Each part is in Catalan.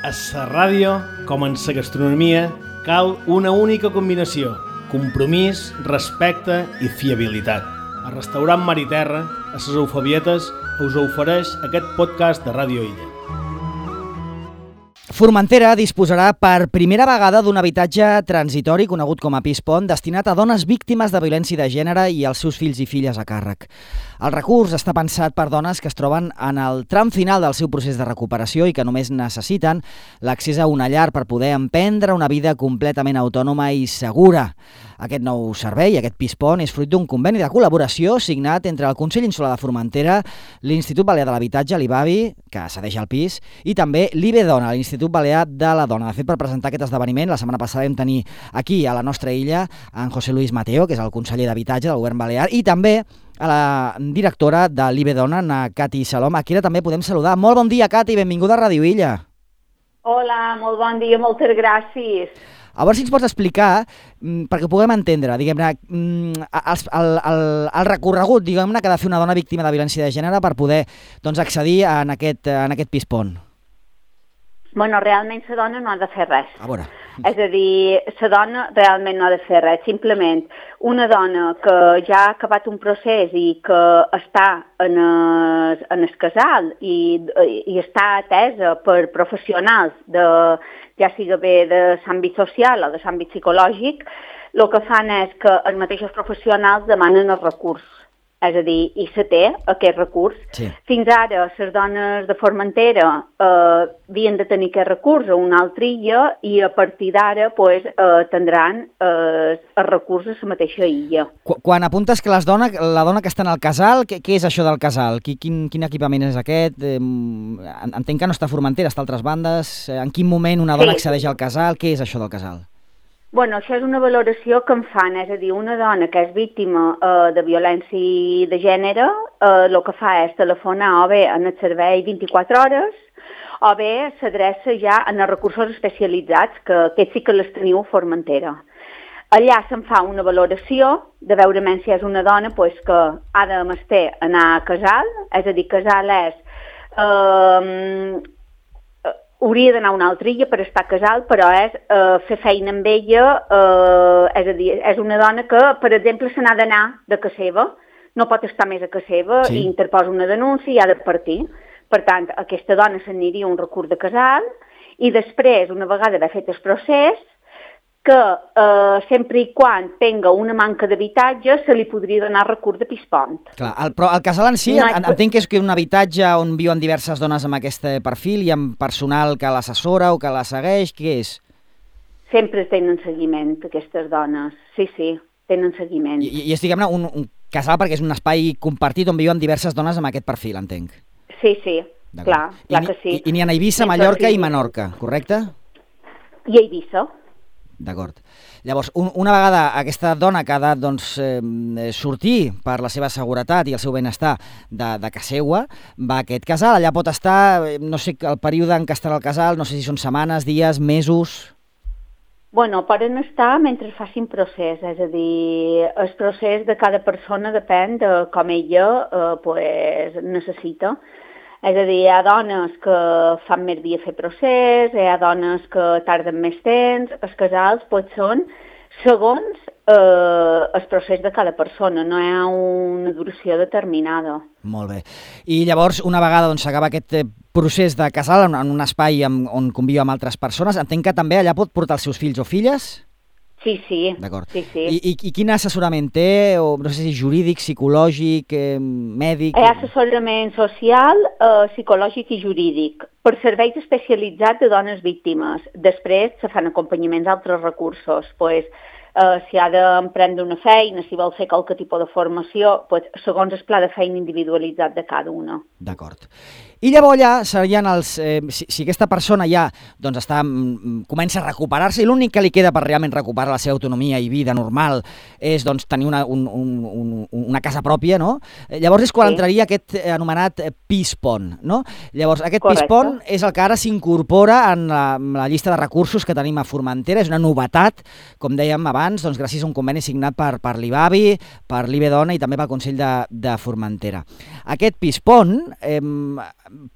A la ràdio, com en la gastronomia, cal una única combinació: compromís, respecte i fiabilitat. El restaurant Mar i Terra, a les Eufebietes, us ofereix aquest podcast de Ràdio Illa. Formentera disposarà per primera vegada d'un habitatge transitori conegut com a pis pont destinat a dones víctimes de violència de gènere i als seus fills i filles a càrrec. El recurs està pensat per dones que es troben en el tram final del seu procés de recuperació i que només necessiten l'accés a una llar per poder emprendre una vida completament autònoma i segura. Aquest nou servei, aquest pis pont, és fruit d'un conveni de col·laboració signat entre el Consell Insular de Formentera, l'Institut Balear de l'Habitatge, l'IBABI, que cedeix el pis, i també l'IBEDONA, l'Institut Balear de la Dona. De fet, per presentar aquest esdeveniment, la setmana passada vam tenir aquí, a la nostra illa, en José Luis Mateo, que és el conseller d'Habitatge del Govern Balear, i també a la directora de l'IBEDONA, na Cati Salom. Aquí també podem saludar. Molt bon dia, Cati, benvinguda a Ràdio Illa. Hola, molt bon dia, moltes gràcies. A veure si ens pots explicar, perquè ho puguem entendre, diguem-ne, el recorregut, diguem-ne, que ha de fer una dona víctima de violència de gènere per poder accedir en aquest pis pont. Bueno, realment la dona no ha de fer res. A veure. És a dir, la dona realment no ha de fer res. Simplement, una dona que ja ha acabat un procés i que està en el casal i està atesa per professionals, ja sigui bé de l'àmbit social o de l'àmbit psicològic, el que fan és que els mateixos professionals demanen el recurs. És a dir, i se té aquest recurs. Sí. Fins ara, les dones de Formentera havien de tenir aquest recurs a una altra illa i a partir d'ara tindran el recurs a la mateixa illa. Quan apuntes que la dona que està en el casal, què és això del casal? Quin equipament és aquest? Entenc que no està a Formentera, està a altres bandes. En quin moment una dona accedeix al casal? Què és això del casal? Bueno, això és una valoració que en fan, és a dir, una dona que és víctima de violència de gènere, el que fa és telefonar o bé en el servei 24 hores o bé s'adreça ja en els recursos especialitzats, que aquests sí que les teniu a Formentera. Allà se'n fa una valoració de veure si és una dona que ha de mester anar a casal, és a dir, casal és... hauria d'anar a una altra illa per estar a casal, però és fer feina amb ella, és a dir, és una dona que, per exemple, se n'ha d'anar de casa seva, no pot estar més a casa seva, sí. I interposa una denúncia i ha de partir. Per tant, aquesta dona s'aniria un recurs de casal i després, una vegada haver fet el procés, que sempre i quan tenga una manca d'habitatge se li podria donar recurs de pis pont. Clar, però el casal en si, entenc que és un habitatge on viuen diverses dones amb aquest perfil i amb personal que l'assessora o que la segueix, què és? Sempre tenen seguiment, aquestes dones, sí, tenen seguiment. I és, diguem-ne, un casal perquè és un espai compartit on viuen diverses dones amb aquest perfil, entenc. Sí, clar que sí. I n'hi ha a Eivissa, Mallorca i Menorca, correcte? I a Eivissa. D'acord. Llavors, una vegada aquesta dona que ha de sortir per la seva seguretat i el seu benestar de casa seva, va a aquest casal, allà pot estar, no sé el període en què estarà el casal, no sé si són setmanes, dies, mesos... Bueno, poden estar mentre facin procés, és a dir, el procés de cada persona depèn de com ella necessita. És a dir, hi ha dones que fan més dia fer procés, hi ha dones que tarden més temps, els casals són segons el procés de cada persona, no hi ha una duració determinada. Molt bé. I llavors, una vegada s'acaba aquest procés de casal en un espai on conviu amb altres persones, entenc que també allà pot portar els seus fills o filles? Sí. D'acord. Sí. I quin assessorament té? O, no sé si jurídic, psicològic, mèdic... Hi ha assessorament social, psicològic i jurídic per serveis especialitzats de dones víctimes. Després se fan acompanyaments a altres recursos. Si ha d'emprendre una feina, si vol fer qualque tipus de formació, segons el pla de feina individualitzat de cada una. D'acord. I llavors ja serien si aquesta persona ja comença a recuperar-se i l'únic que li queda per realment recuperar la seva autonomia i vida normal és tenir una casa pròpia, no? Llavors és quan entraria aquest anomenat pis pont, no? Llavors aquest pis pont és el que ara s'incorpora en la llista de recursos que tenim a Formentera, és una novetat, com dèiem abans, gràcies a un conveni signat per l'IBABI, per l'IBEDONA i també pel Consell de Formentera. Aquest pis pont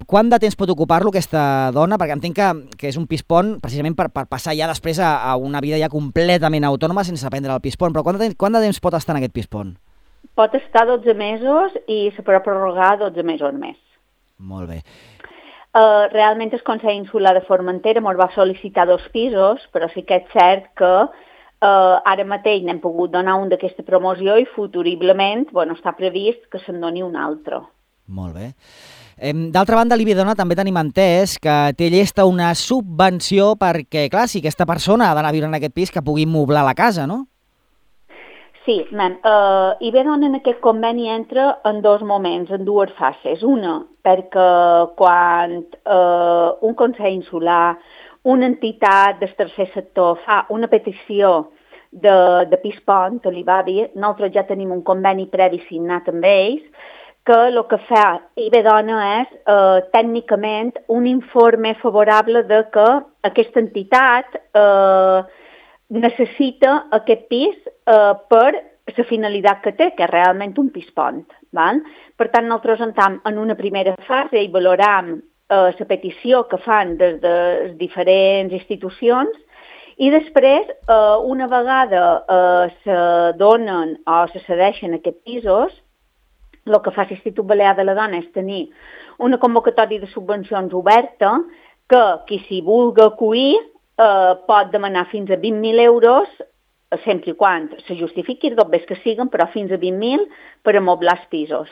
Quant de temps pot ocupar-lo aquesta dona? Perquè entenc que és un pis-pont precisament per passar ja després a una vida ja completament autònoma sense prendre el pis-pont. Però quant de temps pot estar en aquest pis-pont? Pot estar 12 mesos i se podrà prorrogar 12 mesos més. Molt bé. Realment el Consell Insular de Formentera ens va sol·licitar 2 pisos, però sí que és cert que ara mateix n'hem pogut donar un d'aquesta promoció i futuriblement està previst que se'n doni un altre. Molt bé. D'altra banda, l'Ibedona també tenim entès que té llesta una subvenció perquè, clar, si aquesta persona ha d'anar a viure en aquest pis, que pugui moblar la casa, no? Sí, Ibedona en aquest conveni entra en 2 moments, en 2 fases. Una, perquè quan un Consell Insular, una entitat del tercer sector fa una petició de pis-pont, a l'IBABI, nosaltres ja tenim un conveni previ signat amb ells, que el que fa Ibedona és tècnicament un informe favorable de que aquesta entitat necessita aquest pis per la finalitat que té, que és realment un pis-pont. Per tant, nosaltres entrem en una primera fase i valorem la petició que fan des de les diferents institucions i després, una vegada se donen o se cedeixen aquests pisos, el que fa l'Institut Balear de la Dona és tenir una convocatòria de subvencions oberta que qui s'hi vulgui acollir pot demanar fins a 20.000 euros, sempre i quan se justifiqui, dos vés que siguen, però fins a 20.000 per amoblar els pisos.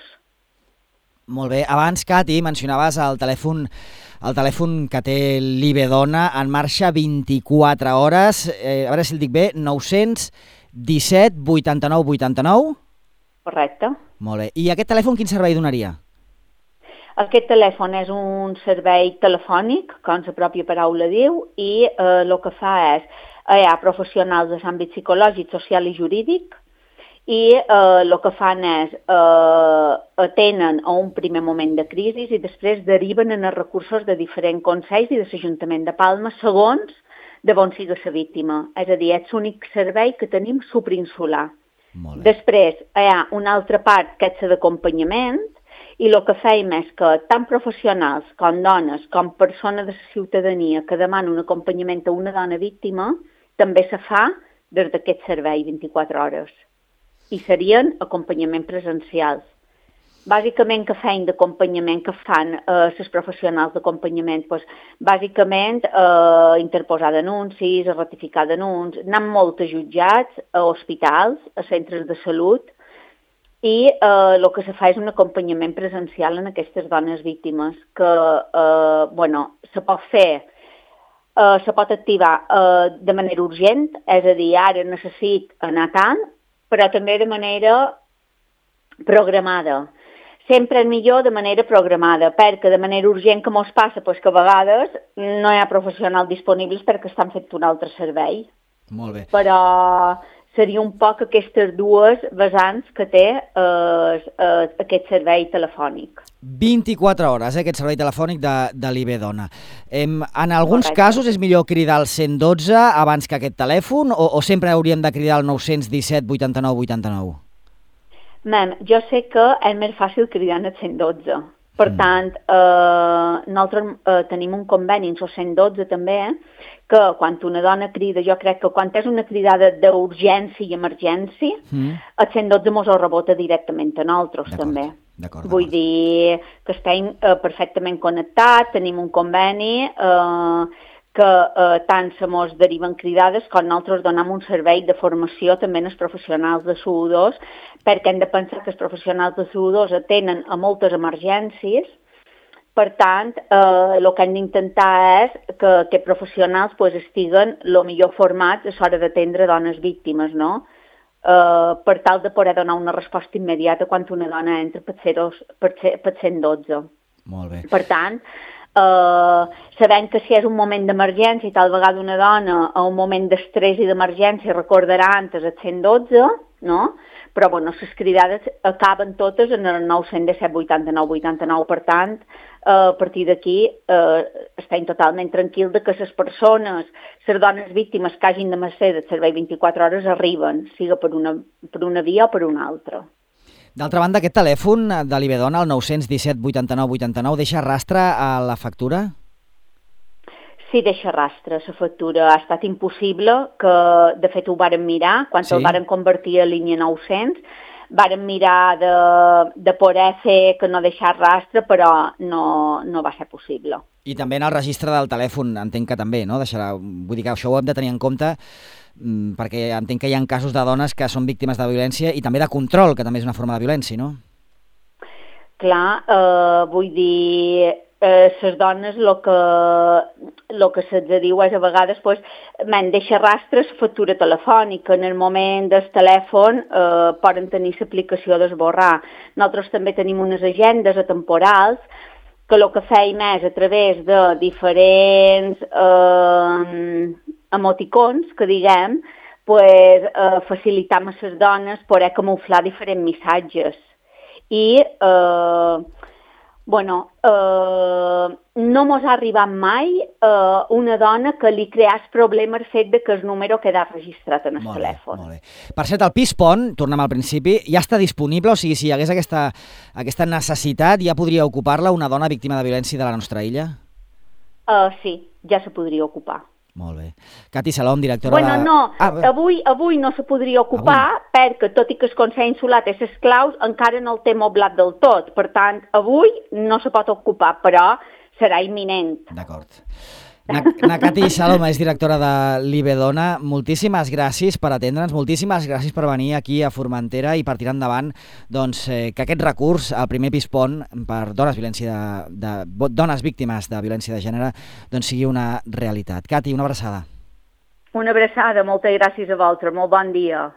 Molt bé. Abans, Cati, mencionaves el telèfon que té l'Ibedona en marxa 24 hores. A veure si el dic bé, 917 89 89? Correcte. Molt bé. I aquest telèfon quin servei donaria? Aquest telèfon és un servei telefònic, com la pròpia paraula diu, i el que fa és, hi ha professionals de l'àmbit psicològic, social i jurídic, i el que fan és atenen a un primer moment de crisi i després deriven en els recursos de diferents consells i de l'Ajuntament de Palma segons de on sigui la víctima. És a dir, és l'únic servei que tenim superinsular. Després hi ha una altra part que és la d'acompanyament i el que fem és que tant professionals com dones com persones de la ciutadania que demanen un acompanyament a una dona víctima també se fa des d'aquest servei 24 hores. I serien acompanyament presencials. Bàsicament, què feien d'acompanyament que fan les professionals d'acompanyament? Bàsicament, interposar denuncis, ratificar denuncis, anar molt a jutjats, a hospitals, a centres de salut, i el que se fa és un acompanyament presencial en aquestes dones víctimes, que se pot fer, se pot activar de manera urgent, és a dir, ara necessito anar tant, però també de manera programada. Sempre és millor de manera programada, perquè de manera urgent que mos passa, que a vegades no hi ha professionals disponibles perquè estan fent un altre servei. Molt bé. Però seria un poc aquestes dues vessants que té aquest servei telefònic. 24 hores, aquest servei telefònic de l'Ibedona. En alguns casos és millor cridar al 112 abans que aquest telèfon o sempre hauríem de cridar al 917 89 89? Jo sé que és més fàcil cridar al 112. Per tant, nosaltres tenim un conveni en el 112 també, que quan una dona crida, jo crec que quan és una cridada d'urgència i emergència, el 112 ens ho rebota directament a nosaltres també. Vull dir que estem perfectament connectats, tenim un conveni que tant se mos deriven cridades com nosaltres donem un servei de formació també als professionals de SU2, perquè hem de pensar que els professionals de SU2 atenen a moltes emergències. Per tant, el que hem d'intentar és que aquests professionals estiguen el millor formats a l'hora d'atendre dones víctimes, no? Per tal de poder donar una resposta immediata quan una dona entra per 112. Molt bé. Per tant, sabent que si és un moment d'emergència i tal vegada una dona a un moment d'estrès i d'emergència recordarà antes el 112, no? Però les cridades acaben totes en el 917 89 89, per tant, a partir d'aquí estem totalment tranquils que les persones, les dones víctimes que hagin de mercè del servei 24 hores arriben, siga per una via o per una altra. D'altra banda, aquest telèfon de l'Ibedona, el 917 89 89, deixa rastre a la factura? Sí, deixa rastre. La factura ha estat impossible, que de fet ho vàrem mirar, quan el vàrem convertir a línia 900, vàrem mirar de poder fer que no deixar rastre, però no va ser possible. I també en el registre del telèfon, entenc que també, no? Vull dir que això ho hem de tenir en compte, perquè entenc que hi ha casos de dones que són víctimes de violència i també de control, que també és una forma de violència, no? Clar, vull dir, les dones el que se'ls diu és a vegades deixa rastres factura telefònica. En el moment del telèfon poden tenir l'aplicació d'esborrar. Nosaltres també tenim unes agendes atemporals que el que feim és a través de diferents emoticons, que diguem, facilitar a les dones poder camuflar diferents missatges. I, no mos ha arribat mai una dona que li creés problema el fet que el número queda registrat en el telèfon. Molt bé. Per cert, el Pis Pont, tornem al principi, ja està disponible? O sigui, si hi hagués aquesta necessitat, ja podria ocupar-la una dona víctima de violència de la nostra illa? Sí, ja se podria ocupar. Molt bé. Cati Salom, directora de... Avui no se podria ocupar perquè, tot i que el Consell Insular té les claus, encara no el té moblat del tot. Per tant, avui no se pot ocupar, però serà imminent. D'acord. Cati Salom és directora de l'Ibedona. Moltíssimes gràcies per atendre'ns, moltíssimes gràcies per venir aquí a Formentera i per tirar endavant que aquest recurs, el primer Pis Pont per dones víctimes de violència de gènere, sigui una realitat. Cati, una abraçada. Una abraçada, moltes gràcies a vosaltres, molt bon dia.